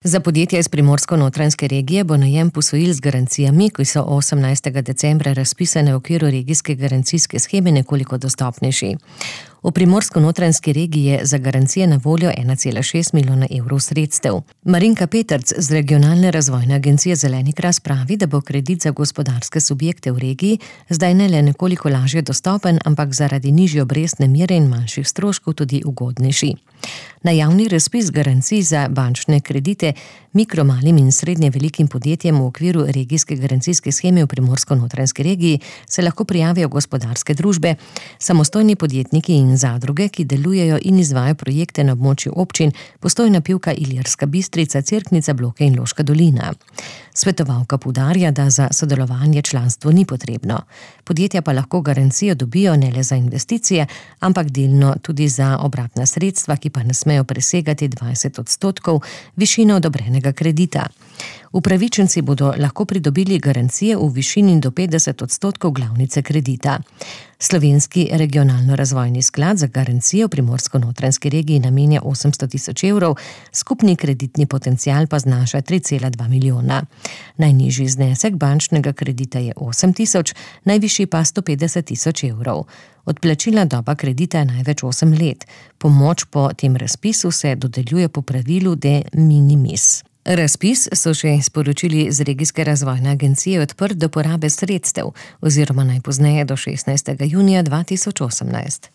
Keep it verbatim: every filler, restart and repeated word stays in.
Za podjetja iz Primorsko-notranjske regije bo najem posojil z garancijami, ki so osemnajstega decembra razpisane v okviru regijske garancijske sheme, nekoliko dostopnejši. V Primorsko-notranjski regiji je za garancije na voljo ena cela šest milijona evrov sredstev. Marinka Petrc z Regionalne razvojne agencije Zeleni kras pravi, da bo kredit za gospodarske subjekte v regiji zdaj ne le nekoliko lažje dostopen, ampak zaradi nižje obrestne mere in manjših stroškov tudi ugodnejši. Na javni razpis garancij za bančne kredite mikro, malim in srednje velikim podjetjem v okviru regijske garancijske sheme v Primorsko-notranjski regiji se lahko prijavijo gospodarske družbe, samostojni podjetniki in zadruge, ki delujejo in izvajajo projekte na območju občin Postojna, Pivka, Ilirska Bistrica, Cerknica, Bloke in Loška dolina. Svetovalka poudarja, da za sodelovanje članstvo ni potrebno. Podjetja pa lahko garancijo dobijo ne le za investicije, ampak delno tudi za obratna sredstva, ki pa ne smejo presegati dvajset odstotkov višine odobrenega kredita. Upravičenci bodo lahko pridobili garancije v višini do petdeset odstotkov glavnice kredita. Slovenski regionalno-razvojni sklad za garancijo v Primorsko-notranjski regiji namenja osemsto tisoč evrov, skupni kreditni potencial pa znaša tri cela dva milijona. Najnižji znesek bančnega kredita je osem tisoč, najvišji pa sto petdeset tisoč evrov. Odplačilna doba kredita je največ osem let. Pomoč po tem razpisu se dodeljuje po pravilu de minimis. Razpis so še sporočili z Regijske razvojne agencije odprt do porabe sredstev oziroma najpozneje do šestnajstega junija dva tisoč osemnajst.